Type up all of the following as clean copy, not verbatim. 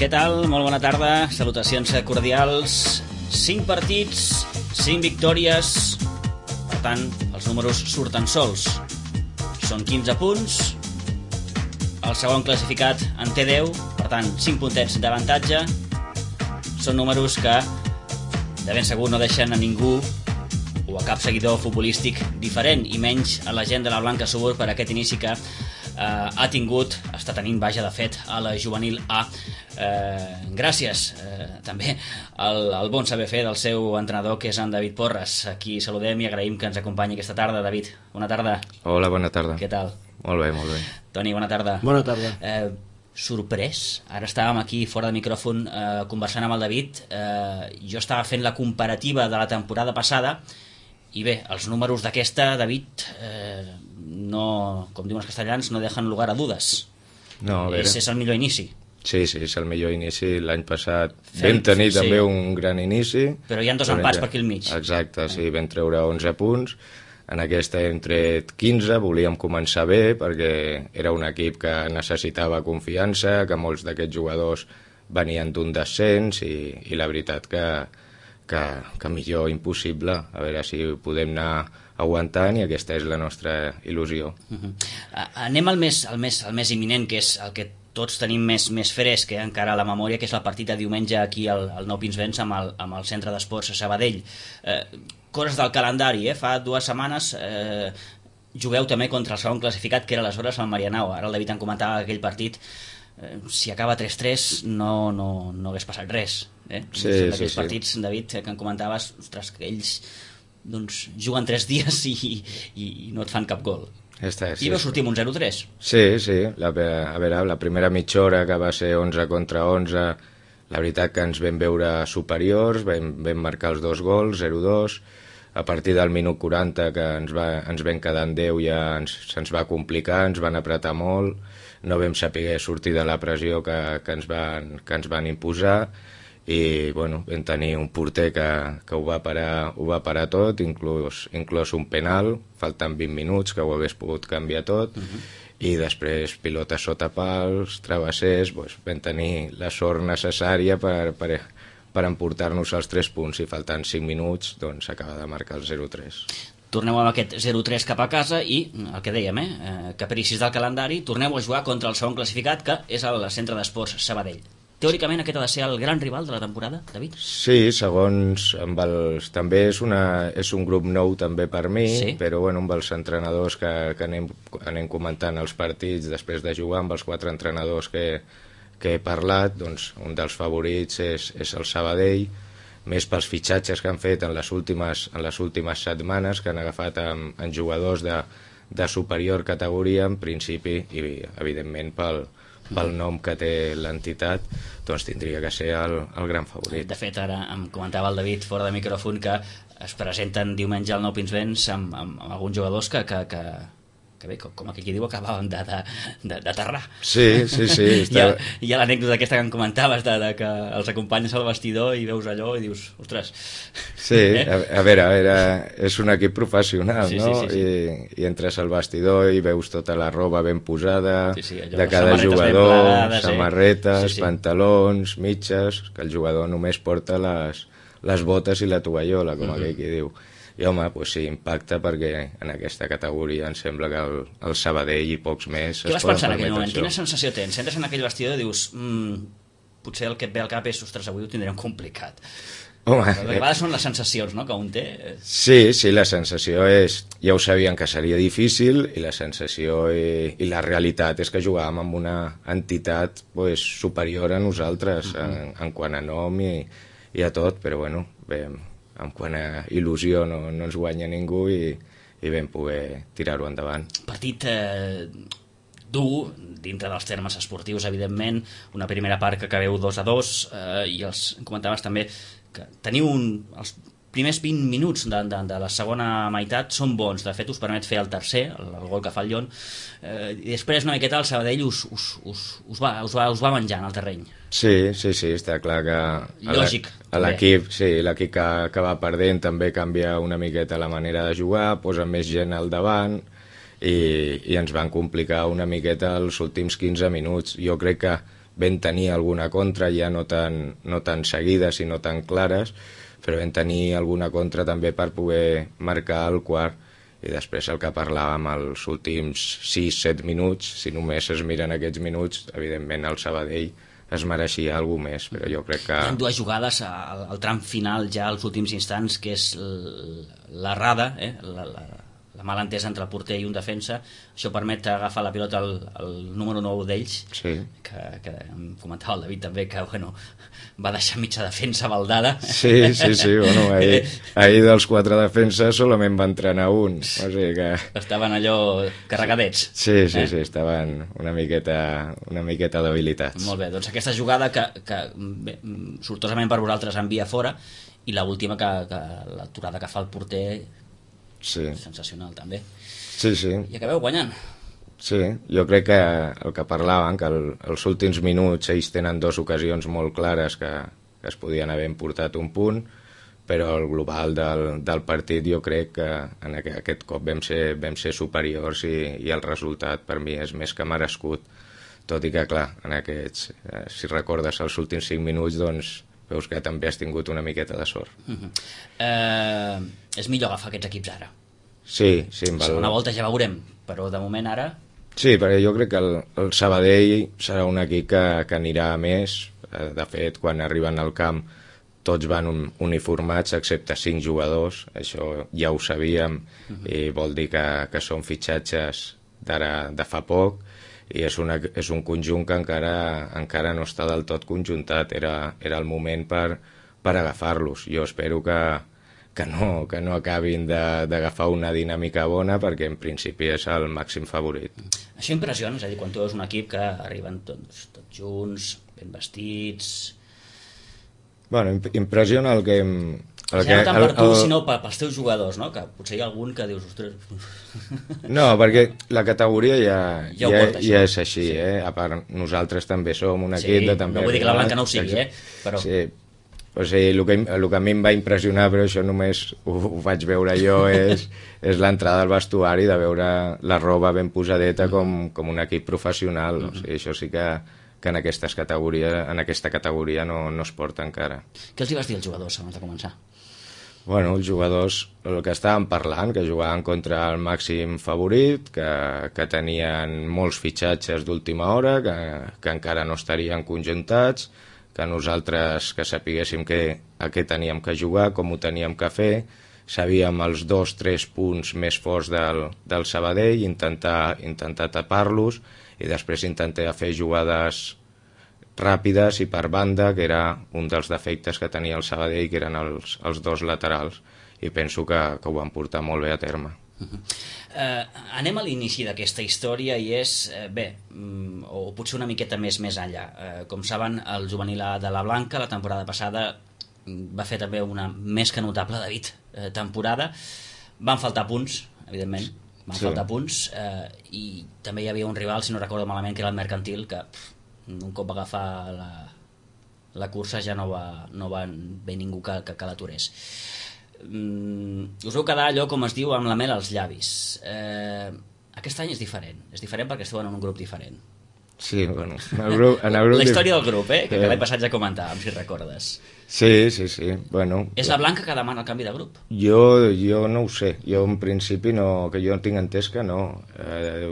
Què tal? Molt bona tarda, salutacions cordials. 5 partits, 5 victòries, per tant, els números surten sols. Són 15 punts, el segon classificat en té 10, per tant, 5 puntets d'avantatge. Són números que de ben segur no deixen a ningú o a cap seguidor futbolístic diferent, i menys a la gent de la Blanca Subur per aquest inici que està tenint, vaja, de fet, a la juvenil A. Gràcies també al bon saber fer del seu entrenador, que és en David Porres. Aquí saludem i agraïm que ens acompanyi aquesta tarda. David, bona tarda. Hola, bona tarda. Què tal? Molt bé, molt bé. Toni, bona tarda. Bona tarda. Sorprès, ara estàvem aquí fora de micròfon conversant amb el David. Jo estava fent la comparativa de la temporada passada i bé, els números d'aquesta, David, no, com diuen els castellans, no deixen lugar a dudes. No, a veure. És el millor inici. Sí, és el millor inici. L'any passat vam tenir també un gran inici. Però hi ha 2 empats per aquí al mig. Exacte, sí, vam treure 11 punts. En aquesta hem tret 15, volíem començar bé perquè era un equip que necessitava confiança, que molts d'aquests jugadors venien d'un descens i la veritat que millor impossible. A veure si ho podem anar aguantant, i aquesta és la nostra il·lusió. Anem al més imminent, que és el que tots tenim més fresc, encara a la memòria, que és el partit de diumenge aquí al Nou Pinsbens amb el Centre d'Esports a Sabadell. Coses del calendari, fa 2 setmanes jugueu també contra el segon classificat, que era aleshores el Marianao. Ara el David en comentava aquell partit, si acaba 3-3 no hagués passat res. Sí. Aquells partits, David, que en comentaves, ostres, que ells juguen 3 dies i no et fan cap gol. I vau sortir amb un 0-3. Sí. A veure, la primera mitja hora, que va ser 11 contra 11, la veritat que ens vam veure superiors, vam marcar els 2 gols, 0-2. A partir del minut 40, que ens vam quedar en 10, ja se'ns va complicar, ens van apretar molt, no vam saber sortir de la pressió que ens van imposar, i bueno, vam tenir un porter que ho va parar tot, inclús un penal, faltant 20 minuts, que ho hagués pogut canviar tot. I després pilotes sota pals, travessers, vam tenir la sort necessària per emportar-nos els 3 punts, i faltant 5 minuts s'acaba de marcar el 0-3. Torneu amb aquest 0-3 cap a casa i, el que dèiem, capricis del calendari, torneu a jugar contra el segon classificat, que és el Centre d'Esports Sabadell. Teòricament aquest ha de ser el gran rival de la temporada, David? Sí, segons també és un grup nou també per mi, sí. Però amb els entrenadors que anem comentant els partits després de jugar, amb els 4 entrenadors que he parlat, un dels favorits és el Sabadell, més pels fitxatges que han fet en les últimes setmanes, que han agafat en jugadors de superior categoria, en principi, i evidentment pel nom que té l'entitat, tindria que ser el gran favorit. De fet, ara em comentava el David fora de micròfon que es presenten diumenge al Nou Pinsbens amb alguns jugadors que bé, com aquí diu, acabàvem d'aterrar. Sí. Hi ha l'anècdota aquesta que em comentaves de que els acompanyes al vestidor i veus allò i dius, ostres... Sí, a veure, és un equip professional, no? Sí. I entres al vestidor i veus tota la roba ben posada, allò, de cada jugador, samarretes, sí. Pantalons, mitges, que el jugador només porta les botes i la tovallola, com aquell que diu. I home, sí, impacta, perquè en aquesta categoria em sembla que el Sabadell i pocs més Què vas pensar en aquell moment? Quina sensació tens? Entres en aquell vestidor i dius, potser el que et ve al cap és, ostres, avui ho tindrem complicat. Home, a vegades són les sensacions, no?, que un té. Sí, la sensació és... Ja ho sabien que seria difícil, i la sensació i la realitat és que jugàvem amb una entitat superior a nosaltres, en quant a nom i a tot, però bé, en quant a il·lusió no ens guanya ningú, i vam poder tirar-ho endavant. Partit dur, dintre dels termes esportius, evidentment, una primera part que acabeu 2-2, i comentaves també que teniu els primers 20 minuts de la segona meitat són bons, de fet us permet fer el tercer, el gol que fa el Llon, i després una miqueta el Sabadell us va menjant al terreny. Sí, està clar que l'equip que va perdent també canvia una miqueta la manera de jugar, posa més gent al davant, i ens van complicar una miqueta els últims 15 minuts. Jo crec que vam tenir alguna contra, ja no tan seguides i no tan clares, però vam tenir alguna contra també per poder marcar el quart. I després el que parlàvem els últims 6-7 minuts, si només es miren aquests minuts, evidentment el Sabadell es mereixia alguna més, però jo crec que... Hi ha dues jugades al tram final, ja als últims instants, que és l'errada, la mala entesa entre el porter i un defensa. Això permet agafar la pilota al número 9 d'ells, sí. que em comentava el David també, que bueno, va deixar mitja defensa baldada. Sí, bueno, ahir dels 4 defenses solament va entrenar un, o sigui que... Estaven allò carregadets. Sí, estaven una miqueta debilitats. Molt bé, doncs aquesta jugada que sortosament per vosaltres envia fora, i l'última l'aturada que fa el porter, sí. Sensacional també. Sí. I acabeu guanyant. Sí, jo crec que el que parlaven, que els últims minuts ells tenen 2 ocasions molt clares que es podien haver portat un punt, però el global del partit jo crec que en aquest cop vam ser superiors i el resultat per mi és més que merescut, tot i que clar, en aquests, si recordes els últims 5 minuts, doncs veus que també has tingut una miqueta de sort. És millor agafar aquests equips ara. Sí. La segona volta ja veurem, però de moment ara... Sí, perquè jo crec que el Sabadell serà un equip que anirà a més. De fet, quan arriben al camp tots van uniformats excepte 5 jugadors, això ja ho sabíem, i vol dir que són fitxatges de fa poc, i és un conjunt que encara no està del tot conjuntat. Era el moment per agafar-los. Jo espero que no acabin d'agafar una dinàmica bona, perquè en principi és el màxim favorit. Això impressiona, és a dir, quan tu veus un equip que arriben tots junts, ben vestits... Bueno, impressiona el que... Ja no tant per tu, sinó pels teus jugadors, no? Que potser hi ha algun que dius... No, perquè la categoria ja és així, sí. A part, nosaltres també som un equip de també... No vull dir que la Blanca no ho sigui, però... Sí. O sigui, el que a mi em va impressionar, però això només ho vaig veure jo, és l'entrada al vestuari, de veure la roba ben posadeta com un equip professional. O sigui, això sí que en aquesta categoria no es porta encara. Què els hi vas dir als jugadors abans de començar? Bueno, els jugadors, el que estàvem parlant, que jugaven contra el màxim favorit, que tenien molts fitxatges d'última hora, que encara no estarien conjuntats, que nosaltres que sapiguéssim a què teníem que jugar, com ho teníem que fer, sabíem els 2-3 punts més forts del Sabadell, intentar tapar-los, i després intentar fer jugades ràpides i per banda, que era un dels defectes que tenia el Sabadell, que eren els 2 laterals, i penso que ho van portar molt bé a terme. Anem a l'inici d'aquesta història, i és, o potser una miqueta més enllà. Com saben, el juvenil A de la Blanca la temporada passada va fer també una més que notable, David, temporada. Van faltar punts, evidentment, faltar punts, i també hi havia un rival, si no recordo malament, que era el Mercantil, que un cop va agafar la cursa ja no va bé ningú que l'aturés. Us vau quedar allò, com es diu, amb la mel als llavis. Aquest any és diferent perquè esteu en un grup diferent. Sí, bueno, la història del grup, que l'any passat ja comentàvem, si recordes. Sí, bueno... És la Blanca que demana el canvi de grup? Jo no ho sé, jo en principi no, que jo tinc entès que no.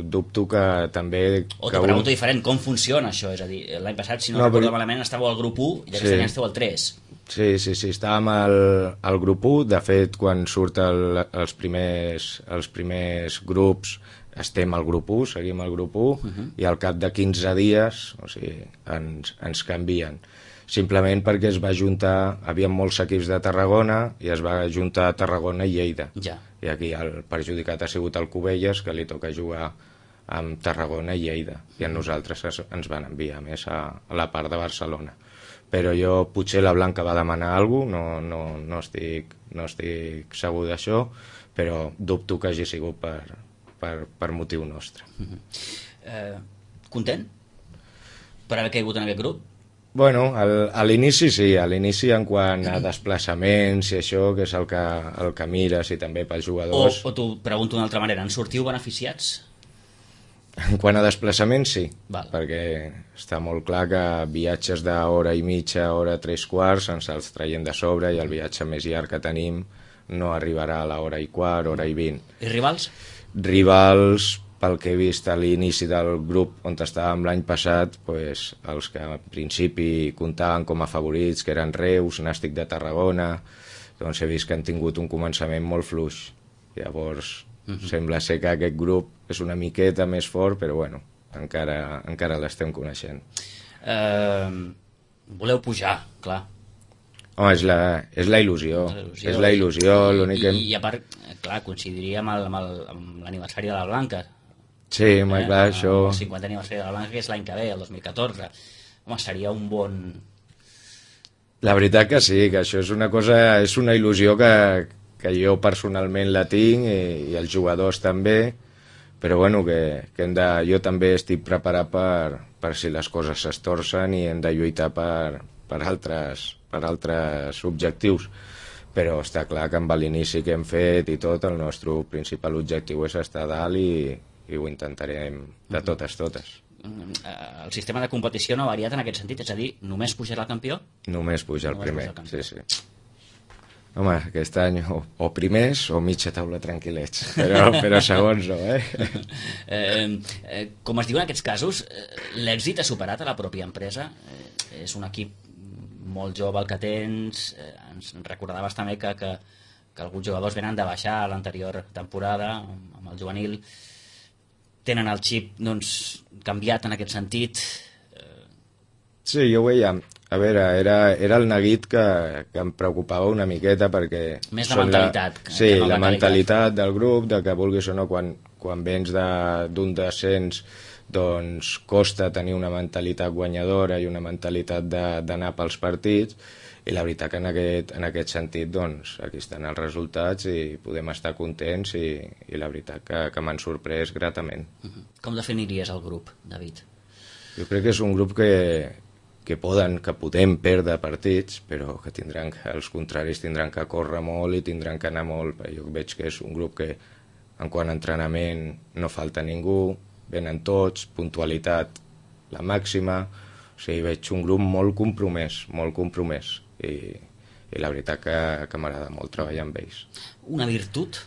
Dubto que també... O t'ho pregunto diferent, com funciona això? És a dir, l'any passat, si no recordo malament, estàveu al grup 1 i aquest any esteu al 3. Sí, estàvem al grup 1. De fet, quan surten els primers grups, estem al grup 1, seguim al grup 1, i al cap de 15 dies, o sigui, ens canvien. Simplement perquè es va juntar, havia molts equips de Tarragona, i es va juntar Tarragona i Lleida. Ja. I aquí el perjudicat ha sigut el Cubelles, que li toca jugar amb Tarragona i Lleida, i a nosaltres ens van enviar més a la part de Barcelona. Però potser la Blanca va demanar alguna cosa, no estic segur d'això, però dubto que hagi sigut per motiu nostre. Content per haver caigut en aquest grup? Bueno, a l'inici sí, a l'inici en quant a desplaçaments i això, que és el que mires, i també pels jugadors... O t'ho pregunto d'una altra manera, en sortiu beneficiats? En quant a desplaçaments, sí, Val. perquè està molt clar que viatges d'hora i mitja, hora 3/4, ens els traiem de sobre i el viatge més llarg que tenim no arribarà a l'hora i quart, hora i 20. I rivals? Rivals, pel que he vist a l'inici del grup on estàvem l'any passat, pues, els que al principi comptaven com a favorits, que eren Reus, Nàstic de Tarragona, doncs he vist que han tingut un començament molt fluix. Llavors, sembla ser que aquest grup és una miqueta més fort, però bueno, encara l'estem coneixent. Voleu pujar, clar. Home, és la il·lusió. És la il·lusió, l'únic que... I a part, clar, coincidiria amb l'aniversari de la Blanca. Sí, home, clar, això... El 50 aniversari de la Blanca, que és l'any que ve, el 2014. Home, seria un bon... La veritat que sí, que això és una cosa, és una il·lusió que jo personalment la tinc i els jugadors també, però bueno, jo també estic preparat per si les coses s'estorcen i hem de lluitar per altres objectius. Però està clar que amb l'inici que hem fet i tot, el nostre principal objectiu és estar a dalt i ho intentarem de totes. El sistema de competició no ha variat en aquest sentit, és a dir, només pujarà el campió? Només puja el primer, sí. Home, aquest any o primers o mitja taula tranquil·lets, però segons no, Com es diu en aquests casos, l'èxit ha superat a la pròpia empresa? És un equip molt jove el que tens, ens recordaves també que alguns jugadors venen de baixar a l'anterior temporada amb el juvenil, tenen el xip doncs, canviat en aquest sentit? Sí, jo ho veia. A veure, era el neguit que em preocupava una miqueta perquè... Més la mentalitat. Sí, la mentalitat del grup, de que vulguis o no, quan vens d'un descens, doncs costa tenir una mentalitat guanyadora i una mentalitat d'anar pels partits, i la veritat que en aquest sentit, doncs, aquí estan els resultats i podem estar contents i la veritat que m'han sorprès gratament. Com definiries el grup, David? Jo crec que és un grup que podem perdre partits, però que els contraris tindran que córrer molt i tindran que anar molt. Jo veig que és un grup que, en quant a entrenament, no falta ningú, venen tots, puntualitat la màxima, o sigui, veig un grup molt compromès, i la veritat que m'agrada molt treballar amb ells. Una virtut?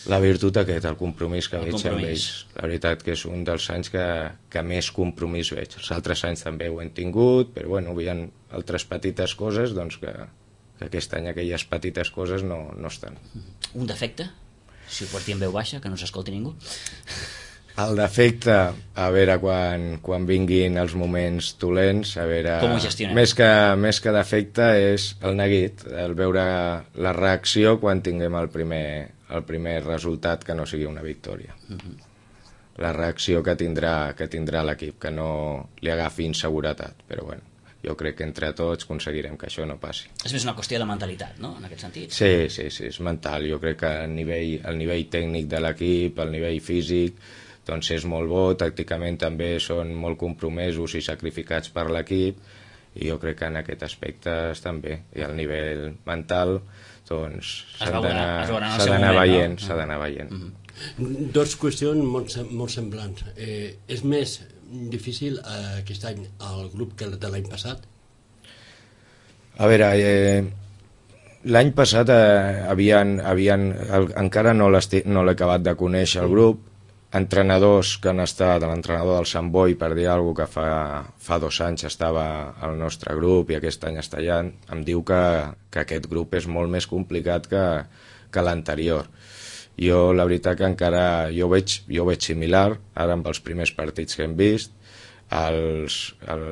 La virtut el compromís que veig amb ells. La veritat que és un dels anys que més compromís veig. Els altres anys també ho hem tingut, però bueno, hi ha altres petites coses doncs que aquest any aquelles petites coses no estan. Un defecte? Si ho pots dir en veu baixa, que no s'escolti ningú. El defecte, a veure, quan vinguin els moments dolents, a veure... Com ho gestionem? Més que defecte és el neguit, el veure la reacció quan tinguem el primer resultat que no sigui una victòria. La reacció que tindrà l'equip, que no li agafi inseguretat, però bueno, jo crec que entre tots aconseguirem que això no passi. És més una qüestió de mentalitat, no?, en aquest sentit. Sí, és mental. Jo crec que el nivell tècnic de l'equip, el nivell físic, doncs és molt bo, tàcticament també són molt compromesos i sacrificats per l'equip, i jo crec que en aquest aspecte estan bé. I al nivell mental, doncs s'ha d'anar veient. Dos qüestions molt semblants. És més difícil aquest any el grup que de l'any passat? A veure, l'any passat encara no l'he acabat de conèixer el grup, entrenadors que han estat, l'entrenador del Sant Boi, per dir alguna cosa, que fa 2 anys estava al nostre grup i aquest any està allà, em diu que aquest grup és molt més complicat que l'anterior. Jo la veritat que encara jo veig similar, ara amb els primers partits que hem vist, al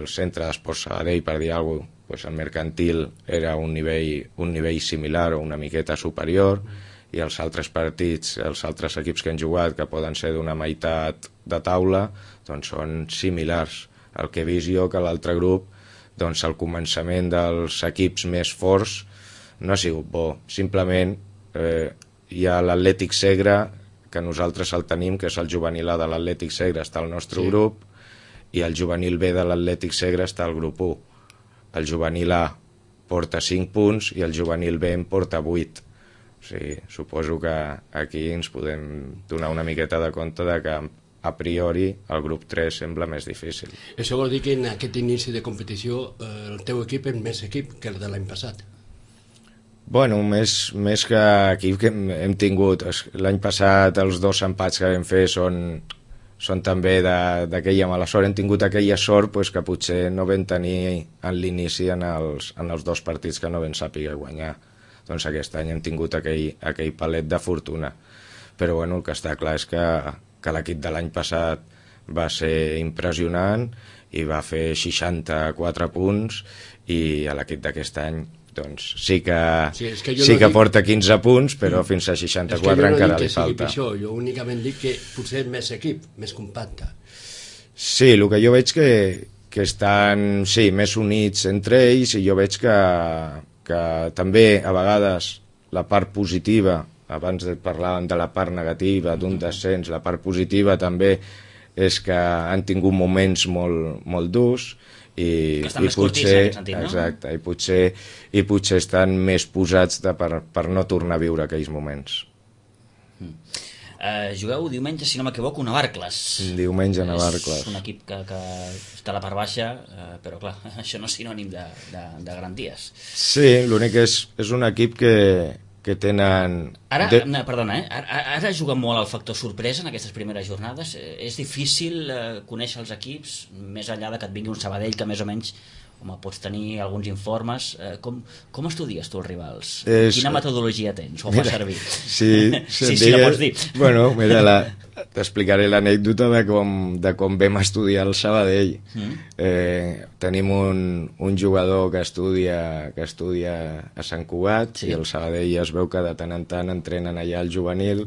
centre d'Esport Sabadell, per dir alguna cosa, pues el mercantil era un nivell similar o una miqueta superior, i els altres partits, els altres equips que han jugat, que poden ser d'una meitat de taula, doncs són similars. El que he vist jo que l'altre grup, doncs el començament dels equips més forts no ha sigut bo. Simplement hi ha l'Atlètic Segre, que nosaltres el tenim, que és el juvenil A de l'Atlètic Segre, està al nostre grup, i el juvenil B de l'Atlètic Segre està al grup 1. El juvenil A porta 5 punts i el juvenil B en porta 8. O sigui, suposo que aquí ens podem donar una miqueta de compte de que a priori el grup 3 sembla més difícil. Això vol dir que en aquest inici de competició el teu equip és més equip que el de l'any passat. Bueno, més que equip que hem tingut l'any passat, els 2 empats que vam fer són també d'aquella mala sort. Hem tingut aquella sort pues, que potser no vam tenir en l'inici en els 2 partits que no vam saber guanyar. Doncs aquest any hem tingut aquell palet de fortuna. Però bueno, el que està clar és que l'equip de l'any passat va ser impressionant i va fer 64 punts, i a l'equip d'aquest any doncs sí que porta 15 punts, però fins a 64 encara li falta. Jo únicament dic que potser és més equip, més compacte. Sí, el que jo veig que estan més units entre ells, i jo veig que també a vegades la part positiva, abans parlàvem de la part negativa d'un descens, la part positiva també és que han tingut moments molt durs, i potser, exacte, i potser estan més posats per no tornar a viure aquells moments. Jugueu diumenge, si no m'equivoco, a Navarcles. Diumenge a Navarcles. És un equip que està a la part baixa, però clar, això no és sinònim de garanties. Sí, l'únic és un equip que tenen... Perdona, ara juga molt el factor sorpresa en aquestes primeres jornades. És difícil conèixer els equips, més enllà de que et vingui un Sabadell que més o menys pots tenir alguns informes. Com estudies tu els rivals? Quina metodologia tens? O fa servir? Sí, la pots dir. Bueno, mira, t'explicaré l'anècdota de com vam estudiar el Sabadell. Tenim un jugador que estudia a Sant Cugat, i el Sabadell es veu que de tant en tant entrenen allà al juvenil,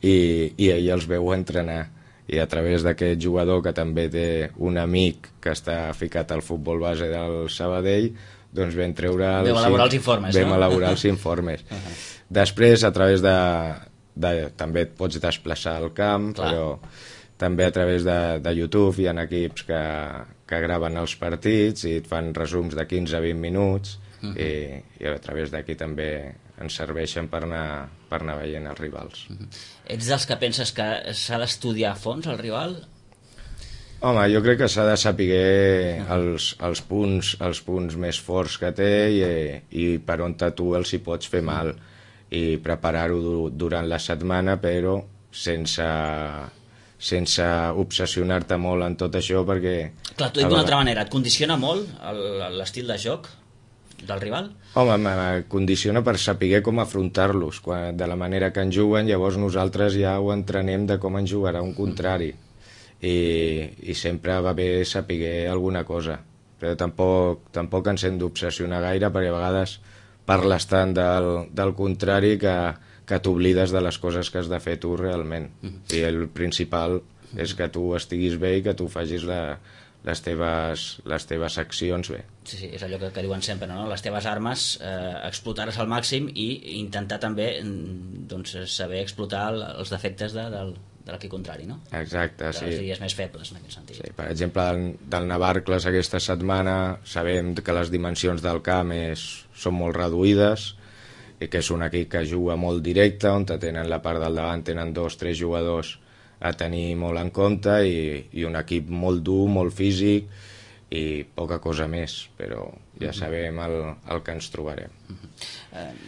i ell els veu entrenar. I a través d'aquest jugador, que també té un amic que està ficat al futbol base del Sabadell, doncs vam treure... Vam elaborar els informes, no? Vam elaborar els informes. Després, a través també et pots desplaçar al camp, però també a través de YouTube hi ha equips que graven els partits i et fan resums de 15 a 20 minuts, i a través d'aquí també ens serveixen per anar veient els rivals. Ets dels que penses que s'ha d'estudiar a fons el rival? Home, jo crec que s'ha de saber els punts més forts que té, i per on tu els hi pots fer mal, i preparar-ho durant la setmana, però sense obsessionar-te molt en tot això, perquè... Clar, t'ho dic d'una altra manera, et condiciona molt l'estil de joc del rival? Home, me condiciona per saber com afrontar-los, de la manera que en juguen. Llavors nosaltres ja ho entrenem de com en jugarà un contrari, i sempre va bé saber alguna cosa, però tampoc ens hem d'obsessionar gaire, perquè a vegades parles tant del contrari que t'oblides de les coses que has de fer tu realment, i el principal és que tu estiguis bé i que tu facis les teves accions bé. Sí, és allò que diuen sempre, no? Les teves armes, explotar-les al màxim, i intentar també saber explotar els defectes de l'equip contrari, no? Exacte, sí. Les dies més febles, en aquest sentit. Sí, per exemple, del Navarcles aquesta setmana sabem que les dimensions del camp són molt reduïdes, i que és un equip que juga molt directe, on tenen la part del davant, tenen 2-3 jugadors a tenir molt en compte, i un equip molt dur, molt físic, i poca cosa més, però ja sabem el que ens trobarem.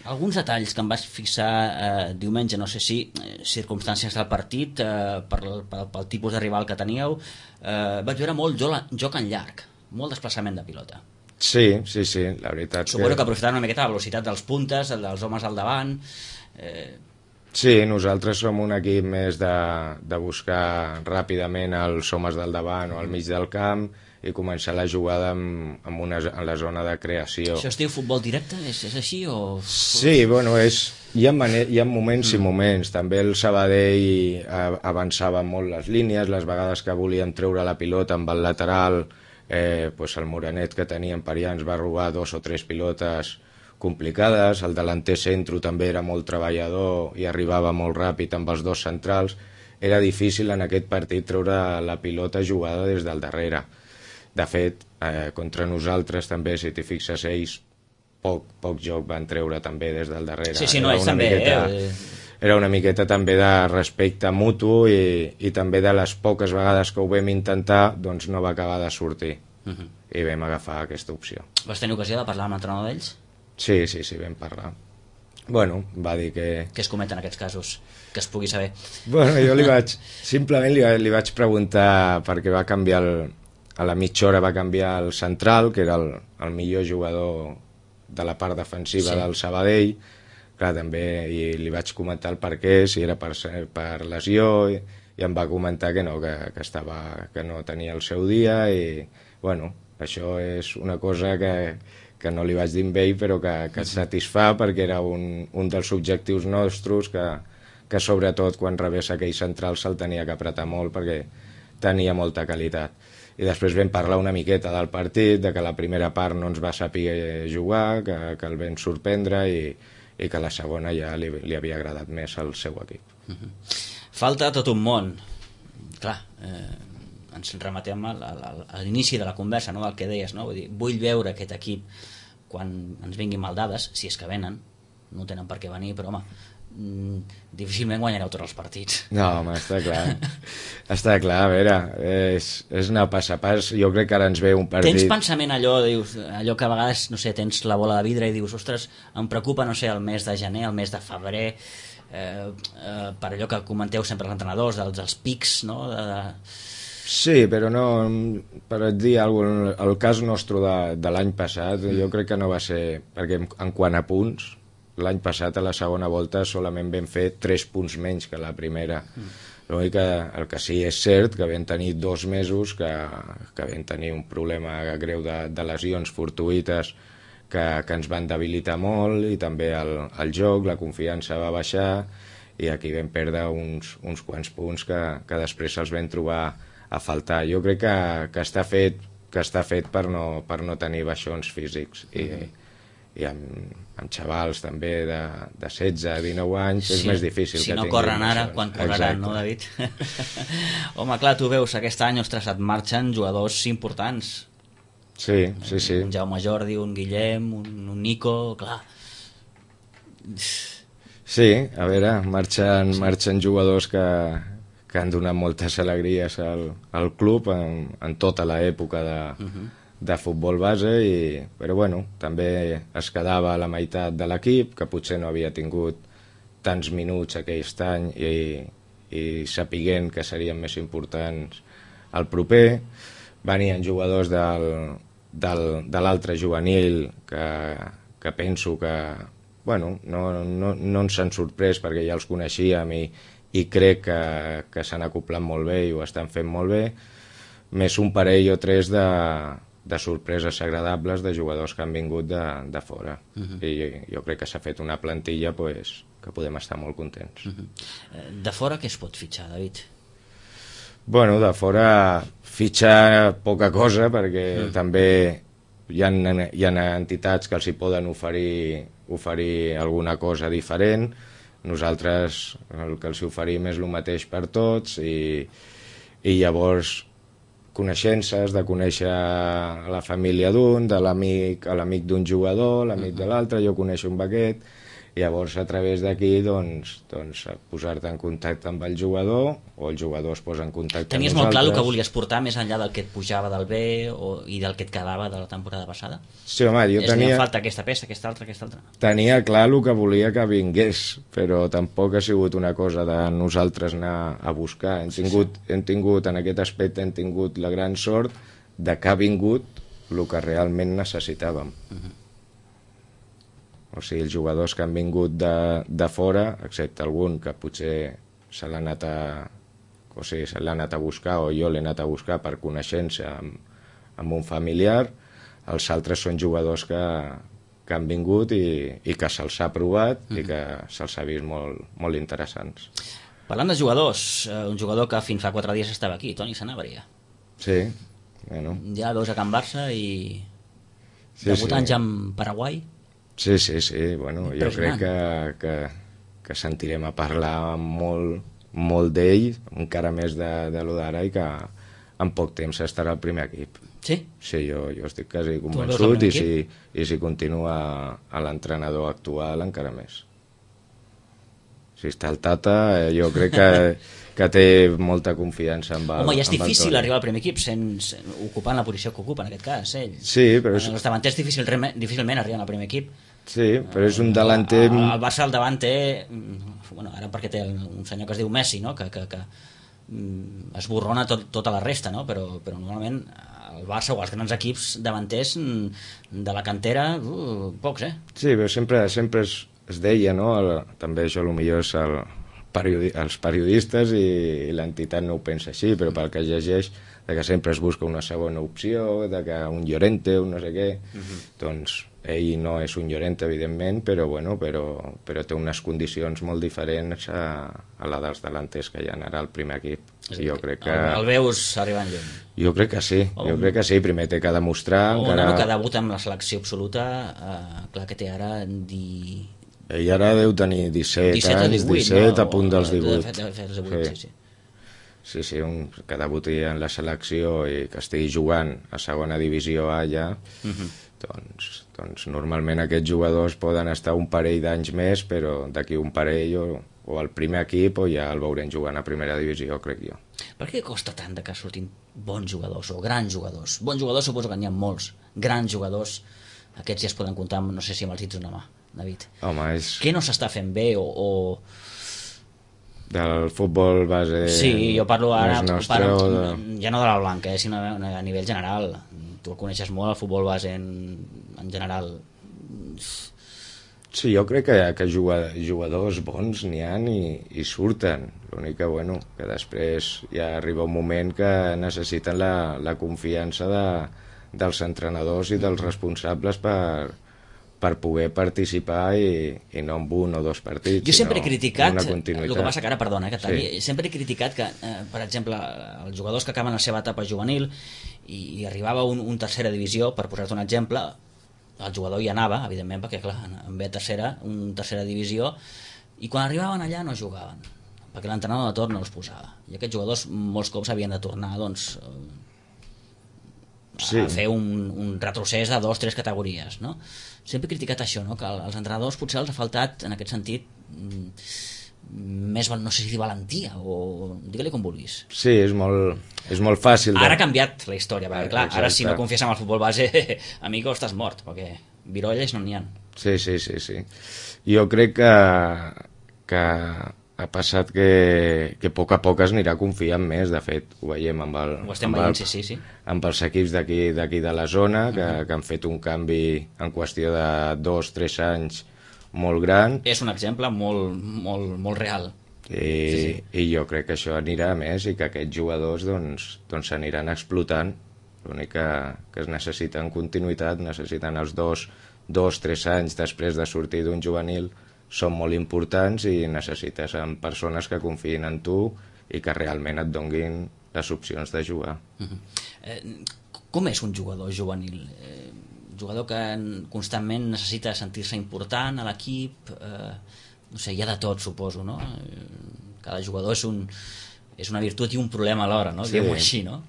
Alguns detalls que em vaig fixar diumenge, no sé si circumstàncies del partit, pel tipus de rival que teníeu, vaig veure molt joc en llarg, molt desplaçament de pilota. Sí, la veritat. Suposo que aprofitaran una miqueta la velocitat dels puntes, dels homes al davant. Sí, nosaltres som un equip més de buscar ràpidament els homes del davant o al mig del camp, i començar la jugada en la zona de creació. Això es diu futbol directe? És així? O... Sí, bueno, hi ha moments i moments. També el Sabadell avançava molt les línies, les vegades que volien treure la pilota amb el lateral, el Moranet que tenien per allà ens va robar 2 o 3 pilotes complicades, el delanter centro també era molt treballador i arribava molt ràpid amb els 2 centrals. Era difícil en aquest partit treure la pilota jugada des del darrere. De fet, contra nosaltres també, si t'hi fixes, ells poc joc van treure també des del darrere. Sí, no, ells també. era una miqueta també de respecte mutu i també de les poques vegades que ho vam intentar, doncs no va acabar de sortir. I vam agafar aquesta opció. Vas tenir ocasió de parlar amb l'entrenador d'ells? Sí, vam parlar. Bueno, va dir que... Què es cometen en aquests casos? Que es pugui saber. Bueno, jo simplement li vaig preguntar perquè va canviar a la mitja hora va canviar el central, que era el millor jugador de la part defensiva del Sabadell. Clar, també li vaig comentar el per què, si era per lesió, i em va comentar que no, que no tenia el seu dia, i bueno, això és una cosa que no li vaig dir amb ell, però que et satisfà, perquè era un dels objectius nostres, que sobretot quan rebés aquell central se'l tenia que apretar molt, perquè tenia molta qualitat. I després vam parlar una miqueta del partit, de que la primera part no ens va saber jugar, que el vam sorprendre, i que la segona ja li havia agradat més al seu equip. Falta tot un món. Clar, ens rematem a l'inici de la conversa, no, del que deies, no? Vull dir, vull veure aquest equip quan ens vinguin mal dades, si és que venen, no tenen per què venir, però home, difícilment guanyareu tots els partits. No, home, està clar. Està clar, a veure, és anar pas a pas. Jo crec que ara ens ve un partit... Tens pensament allò que a vegades, no sé, tens la bola de vidre i dius, ostres, em preocupa, no sé, el mes de gener, el mes de febrer, per allò que comenteu sempre els entrenadors, dels pics, no? Sí, però no, per dir alguna cosa, el cas nostre de l'any passat, jo crec que no va ser, perquè en quant a punts, l'any passat a la segona volta solament vam fer 3 punts menys que la primera. L'únic que el que sí és cert que vam tenir 2 mesos que vam tenir un problema greu de lesions fortuïtes que ens van debilitar molt, i també el joc, la confiança va baixar, i aquí vam perdre uns quants punts que després se'ls vam trobar a faltar. Jo crec que està fet per no tenir baixons físics, i amb xavals també de 16, 19 anys és més difícil. Si no corren ara, quan correran, no, David? Home, clar, tu veus, aquest any, ostres, et marxen jugadors importants. Sí. Un Jaume Jordi, un Guillem, un Nico, clar. Sí, a veure, marxen jugadors que han donat moltes alegries al club en tota l'època de futbol base, però bueno, també es quedava a la meitat de l'equip, que potser no havia tingut tants minuts aquest any, i sapiguent que serien més importants el proper. Venien jugadors de l'altre juvenil que penso que bueno, no ens han sorprès, perquè ja els coneixíem, i crec que s'han acoplat molt bé i ho estan fent molt bé, més un parell o 3 de sorpreses agradables de jugadors que han vingut de fora. I jo crec que s'ha fet una plantilla que podem estar molt contents. De fora què es pot fitxar, David? Bueno, de fora fitxar poca cosa, perquè també hi ha entitats que els hi poden oferir alguna cosa diferent. Nosaltres el que els oferim és el mateix per tots, i llavors coneixences, de conèixer la família d'un, de l'amic d'un jugador, l'amic de l'altre, jo coneixo un aquest, i llavors a través d'aquí doncs posar-te en contacte amb el jugador, o el jugador es posa en contacte amb nosaltres. Tenies molt clar el que volies portar més enllà del que et pujava del B i del que et quedava de la temporada passada? Sí, home, jo tenia... falta aquesta peça, aquesta altra. Tenia clar el que volia que vingués, però tampoc ha sigut una cosa de nosaltres anar a buscar. Hem tingut en aquest aspecte, hem tingut la gran sort de que ha vingut el que realment necessitàvem. O sigui, els jugadors que han vingut de fora, excepte algun que potser se l'ha anat a buscar, o jo l'he anat a buscar per coneixença amb un familiar, els altres són jugadors que han vingut i que se'ls ha provat i que se'ls ha vist molt interessants. Parlant de jugadors, un jugador que fins fa 4 dies estava aquí, Toni Sanabria. Sí, bueno. Ja veus a Can Barça i debutant ja en Paraguai. Sí, bueno, jo crec que sentirem a parlar molt d'ell, encara més de lo d'ara, i que en poc temps estarà al primer equip. Sí? Sí, jo estic quasi convençut, i si continua a l'entrenador actual encara més. Si està el Tata, jo crec que té molta confiança amb el... Home, ja és amb el difícil Toni. arribar al primer equip ocupant la posició que ocupa, en aquest cas, ell. Sí, però Els davanters difícilment arriben al primer equip. Sí, però és un delanter... El Barça al davant té... Bueno, ara perquè té un senyor que es diu Messi, no? que esborrona tota la resta, no? Però normalment el Barça o els grans equips davanters de la cantera, pocs, Sí, però sempre es deia, no? També això potser és els periodistes i l'entitat no ho pensa així, però pel que es llegeix, de que sempre es busca una segona opció, de que un Llorente, un no sé què, doncs ell no és un Llorente, evidentment, però té unes condicions molt diferents a la dels delanters que hi ha ara al primer equip. Jo crec que... El veus arribant lluny. Jo crec que sí, primer té que demostrar... Un nano que debuta amb la selecció absoluta, clar que té ara... Ell ara deu tenir 17 anys, 17 a punt dels 18. Sí, que debuti en la selecció i que estigui jugant a segona divisió A ja, doncs normalment aquests jugadors poden estar un parell d'anys més, però d'aquí un parell o al primer equip o ja el veurem jugant a primera divisió, crec jo. Per què costa tant que surtin bons jugadors o grans jugadors? Bons jugadors suposo que n'hi ha molts, grans jugadors, aquests ja es poden comptar, no sé si amb els dits d'una mà, David. Home, què no s'està fent bé o... Del futbol base... Sí, jo parlo ara nostre, ja no de la blanca, sinó a nivell general. Tu el coneixes molt, el futbol base en general. Sí, jo crec que jugadors bons n'hi ha i surten. L'únic que després ja arriba un moment que necessiten la confiança dels entrenadors i dels responsables per poder participar i no en un o dos partits. Jo sempre he criticat, el que passa que ara, perdona, sempre he criticat que, per exemple, els jugadors que acaben la seva etapa juvenil i arribava un tercera divisió, per posar-te un exemple, el jugador hi anava, evidentment, perquè clar, en ve tercera divisió, i quan arribaven allà no jugaven, perquè l'entrenador de torn no els posava. I aquests jugadors molts cops havien de tornar, doncs, a fer un retrocés de 2 o 3 categories, no? Sempre he criticat això, no? Que als entrenadors potser els ha faltat, en aquest sentit, més, no sé si dir valentia, o digue-li com vulguis. Sí, és molt fàcil. Ara ha canviat la història, perquè clar, ara si no confies en el futbol base, amigo, estàs mort, perquè virolles no n'hi ha. Sí. Jo crec que ha passat que a poc es anirà confiant més, de fet, ho veiem amb els equips d'aquí de la zona, que han fet un canvi en qüestió de 2 o 3 anys molt gran. És un exemple molt real. I jo crec que això anirà a més i que aquests jugadors doncs s'aniran explotant. L'únic que es necessiten continuïtat, necessiten els 2 o 3 anys després de sortir d'un juvenil, són molt importants i necessites persones que confiïn en tu i que realment et donguin les opcions de jugar. Com és un jugador juvenil? Jugador que constantment necessita sentir-se important a l'equip, no sé, hi ha de tot, suposo, no? Cada jugador és una virtut i un problema alhora, no? Diguem-ho així, no?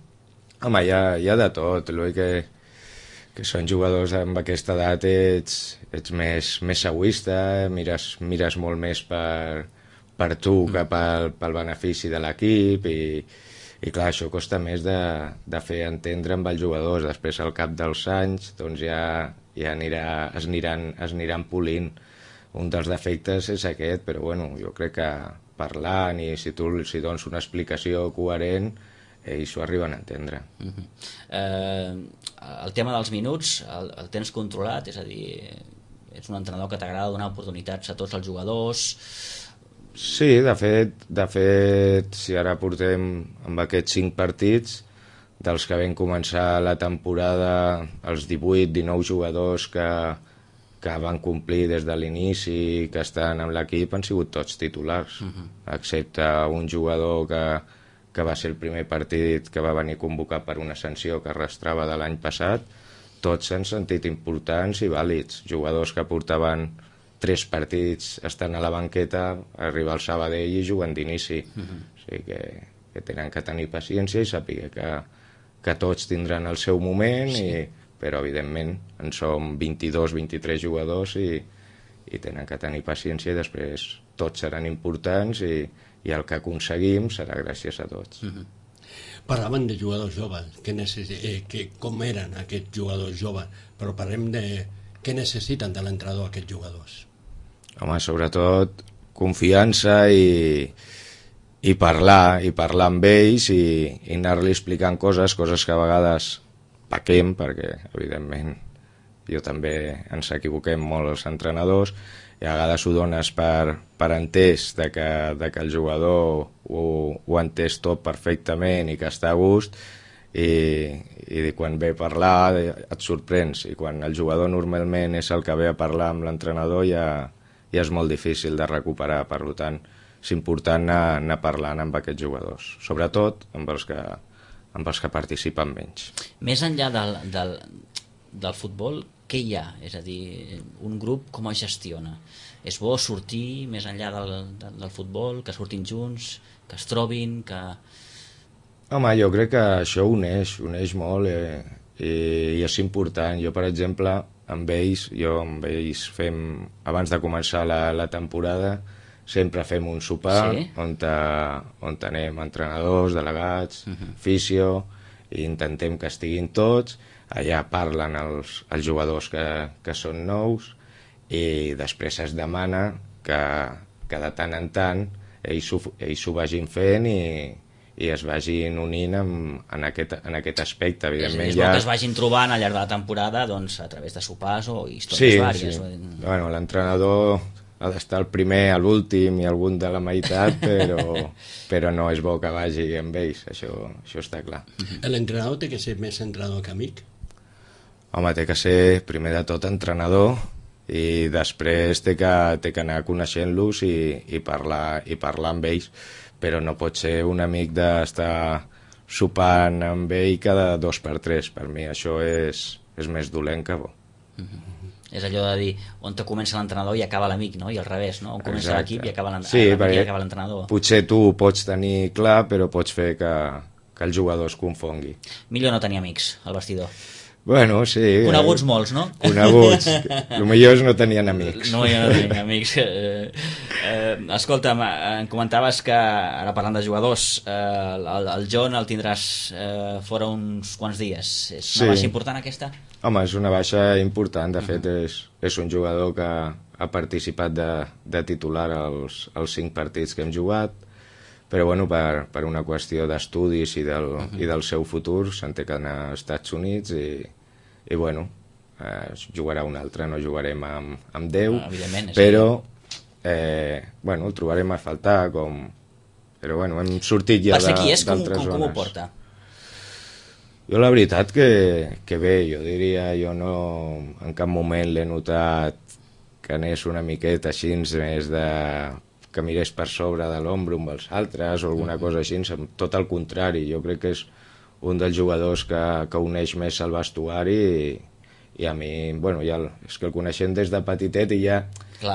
Home, hi ha de tot, l'únic que són jugadors amb aquesta edat ets més egoista, mires molt més per tu que pel benefici de l'equip i clar, això costa més de fer entendre amb els jugadors. Després, al cap dels anys, doncs ja es aniran polint. Un dels defectes és aquest, però bueno, jo crec que parlant i si tu els dones una explicació coherent, ells ho arriben a entendre. El tema dels minuts el tens controlat, és a dir, ets un entrenador que t'agrada donar oportunitats a tots els jugadors. Sí, de fet, si ara portem amb aquests 5 partits, dels que vam començar la temporada, els 18-19 jugadors que van complir des de l'inici, que estan amb l'equip, han sigut tots titulars, excepte un jugador que va ser el primer partit que va venir convocat per una sanció que arrastrava de l'any passat. Tots s'han sentit importants i vàlids. Jugadors que portaven 3 partits estan a la banqueta, arriba el Sabadell i juguen d'inici. O sigui que tenen que tenir paciència i saber que tots tindran el seu moment, però evidentment en som 22-23 jugadors i i tenen que tenir paciència, i després tots seran importants i el que aconseguim serà gràcies a tots. Parlaven de jugadors joves, com eren aquests jugadors joves, però parlem de què necessiten de l'entrenador aquests jugadors. Home, sobretot confiança i parlar amb ells i anar-li explicant coses que a vegades pequem, perquè evidentment jo també ens equivoquem molt els entrenadors, i a vegades ho dones per entès de que el jugador ho ha entès tot perfectament i que està a gust, i quan ve a parlar et sorprens, i quan el jugador normalment és el que ve a parlar amb l'entrenador ja és molt difícil de recuperar. Per tant, és important anar parlant amb aquests jugadors, sobretot amb els que participen menys. Més enllà del futbol, què hi ha? És a dir, un grup com es gestiona? És bo sortir més enllà del futbol, que surtin junts, que es trobin, que... Home, jo crec que això uneix molt i és important. Jo, per exemple, amb ells fem, abans de començar la temporada, sempre fem un sopar, sí? on anem entrenadors, delegats, fisio, i intentem que estiguin tots. Allà parlen els jugadors que són nous, i després es demana que de tant en tant ells ho vagin fent i es vagin unint en aquest aspecte. Evidentment, és bo que es vagin trobant al llarg de la temporada, doncs, a través de sopars o històries vàries. Sí. Bueno, l'entrenador ha d'estar el primer, a l'últim i algun de la meitat, però no és bo que vagi amb ells, això està clar. L'entrenador té que ser més entrenador que amic? Home, té que ser primer de tot entrenador, i després té que anar coneixent-los i parlar amb ells, però no pot ser un amic d'estar sopant amb ell cada 2 per 3. Per mi això és més dolent que bo. És allò de dir, on te comença l'entrenador i acaba l'amic, no? I al revés, no? On comença l'equip i acaba l'entrenador. Potser tu ho pots tenir clar, però pots fer que el jugador es confongui. Millor no tenir amics al vestidor. Bueno, sí. Coneguts molts, no? Coneguts. El millor és no tenien amics. No tenien amics. Escolta'm, em comentaves que, ara parlant de jugadors, el John el tindràs fora uns quants dies. És una baixa important aquesta? Home, és una baixa important. De fet, és un jugador que ha participat de titular als 5 partits que hem jugat, però bueno, per una qüestió d'estudis i del seu futur se'n té que anar als Estats Units i bueno, jugarà un altre, no jugarem amb 10, però bueno, el trobarem a faltar, però bueno, hem sortit ja d'altres zones. Per ser qui és, com ho porta? Jo la veritat que bé, jo diria, jo no en cap moment l'he notat que anés una miqueta així més que mirés per sobre de l'ombre amb els altres o alguna cosa així, tot el contrari. Jo crec que és un dels jugadors que uneix més el vestuari i a mi, bueno, ja és que el coneixem des de petitet i ja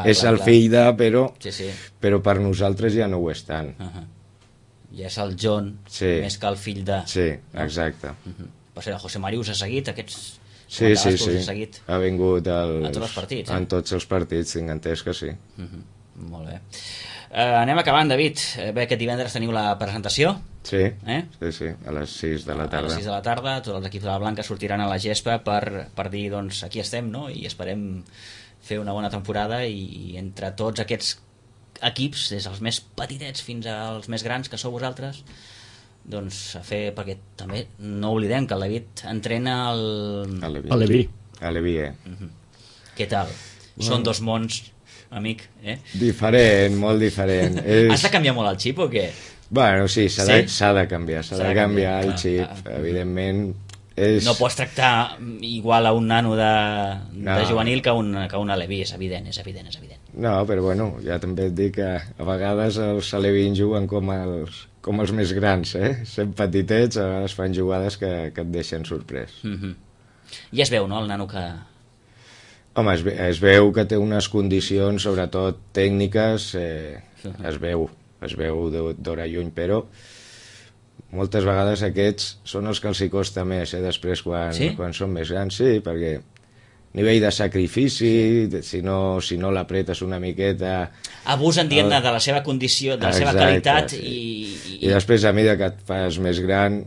és el fill de, però per nosaltres ja no ho és tant. Ja és el John, més que el fill de... Sí, exacte. Per ser, el José Mari us ha seguit, aquests... Sí, ha vingut a tots els partits. En tots els partits, tinc entès que sí. Molt bé. Anem acabant, David. Bé, aquest divendres teniu la presentació. Sí, a les 6 de la tarda. A les 6 de la tarda, tots els equips de la Blanca sortiran a la gespa per dir, doncs, aquí estem, no? I esperem fer una bona temporada i entre tots aquests equips, des dels més petitets fins als més grans que sou vosaltres, doncs a fer, perquè també no oblidem que el David entrena a Leví. Què tal? Són dos mons, amic, Diferent, molt diferent. Has de canviar molt el xip o què? Bueno, sí, s'ha de canviar el xip, evidentment. No pots tractar igual a un nano de juvenil que un aleví, és evident. No, però bueno, ja també et dic que a vegades els alevins juguen com els més grans, sent petitets, a vegades fan jugades que et deixen sorprès. I es veu, no, el nano que... Home, es veu que té unes condicions, sobretot tècniques, es veu d'hora lluny, però moltes vegades aquests són els que els hi costa més, després quan són més grans, sí, perquè nivell de sacrifici, si no l'apretes una miqueta... Abusen, diguem-ne, de la seva condició, de la seva qualitat sí. I després, a mesura que et fas més gran,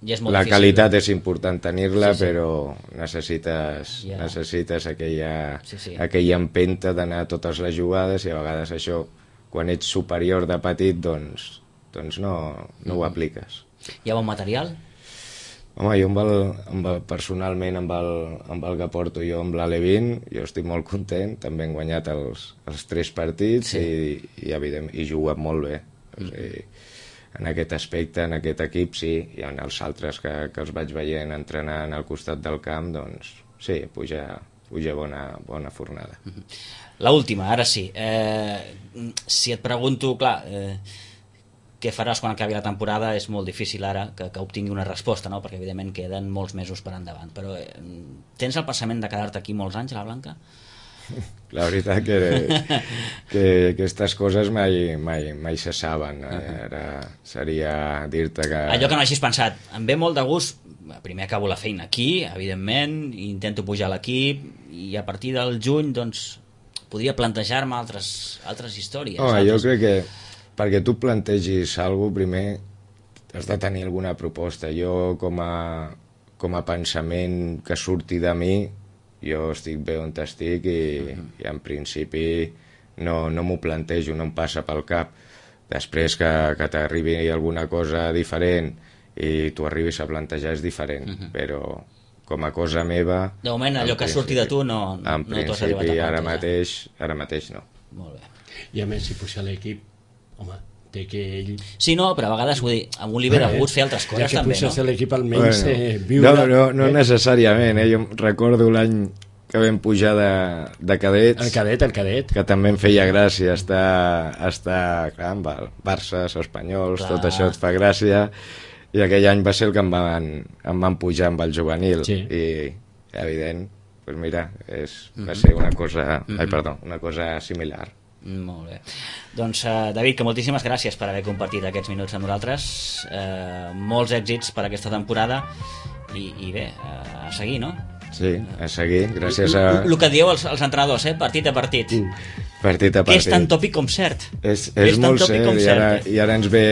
ja és molt la difícil. qualitat és important tenir-la, però necessites aquella empenta d'anar a totes les jugades, i a vegades això, quan ets superior de petit, doncs no ho apliques. Hi ha bon material? Home, jo personalment amb el que porto jo amb l'Alevín, jo estic molt content, també hem guanyat els 3 partits i juguem molt bé. O sigui, en aquest aspecte, en aquest equip, sí, i en els altres que els vaig veient entrenant al costat del camp, doncs sí, puja bona fornada. La última, ara sí. Si et pregunto, clar... què faràs quan acabi la temporada és molt difícil ara que obtingui una resposta, no? Perquè evidentment queden molts mesos per endavant, però tens el pensament de quedar-te aquí molts anys a la Blanca? La veritat que aquestes coses mai se saben. Ara seria dir-te que... Allò que no hagis pensat, em ve molt de gust, primer acabo la feina aquí, evidentment, intento pujar a l'equip i a partir del juny doncs podria plantejar-me altres històries. Jo crec que perquè tu plantegis alguna cosa, primer has de tenir alguna proposta. Jo, com a pensament que surti de mi, jo estic bé on estic i en principi no m'ho plantejo, no em passa pel cap. Després que t'arribi alguna cosa diferent i tu arribis a plantejar és diferent, però com a cosa meva... De moment, allò que surti de tu no t'ho has arribat a plantejar. Ara mateix no. Molt bé. I a més, si puja l'equip, home, té que ell... Sí, no, però a vegades, vull dir, amb un li ve de gust fer altres coses també, no? Ja que puges l'equip almenys viure... No necessàriament, jo recordo l'any que vam pujar de cadets... El cadet. Que també em feia gràcia estar clar, amb el Barça, els espanyols, tot això et fa gràcia, i aquell any va ser el que em van pujar amb el juvenil, i evident, doncs mira, va ser una cosa similar. Molt bé. Doncs, David, que moltíssimes gràcies per haver compartit aquests minuts amb nosaltres. Molts èxits per aquesta temporada i bé, a seguir, no? Sí, a seguir, gràcies a... El que dieu els entrenadors, partit a partit. Partit a partit. Que és tan tòpic com cert. És molt cert, i ara ens ve...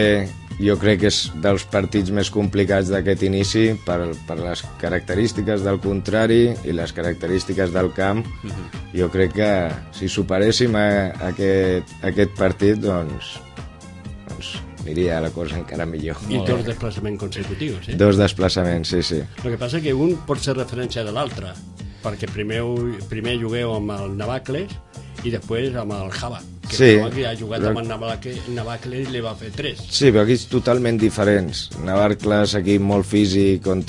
Jo crec que és dels partits més complicats d'aquest inici per les característiques del contrari i les característiques del camp. Jo crec que si superéssim aquest partit, doncs aniria la cosa encara millor. I 2 desplaçaments consecutius, eh? 2 desplaçaments, sí. El que passa és que un pot ser referència de l'altre, perquè primer jugueu amb el Navacles i després amb el Java, que ha jugat amb el Navacles i li va fer 3. Sí, però aquí és totalment diferents. Navacles, equip molt físic, on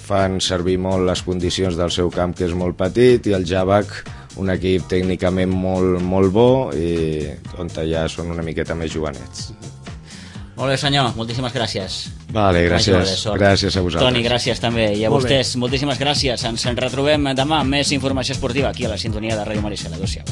fan servir molt les condicions del seu camp, que és molt petit, i el Javac, un equip tècnicament molt bo, i on ja són una miqueta més jovenets. Molt bé, senyor, moltíssimes gràcies. Vale, gràcies a vosaltres. Toni, gràcies també, i a vostès, moltíssimes gràcies. Ens retrobem demà amb més informació esportiva aquí a la sintonia de Ràdio Maricel. Adéu-siau.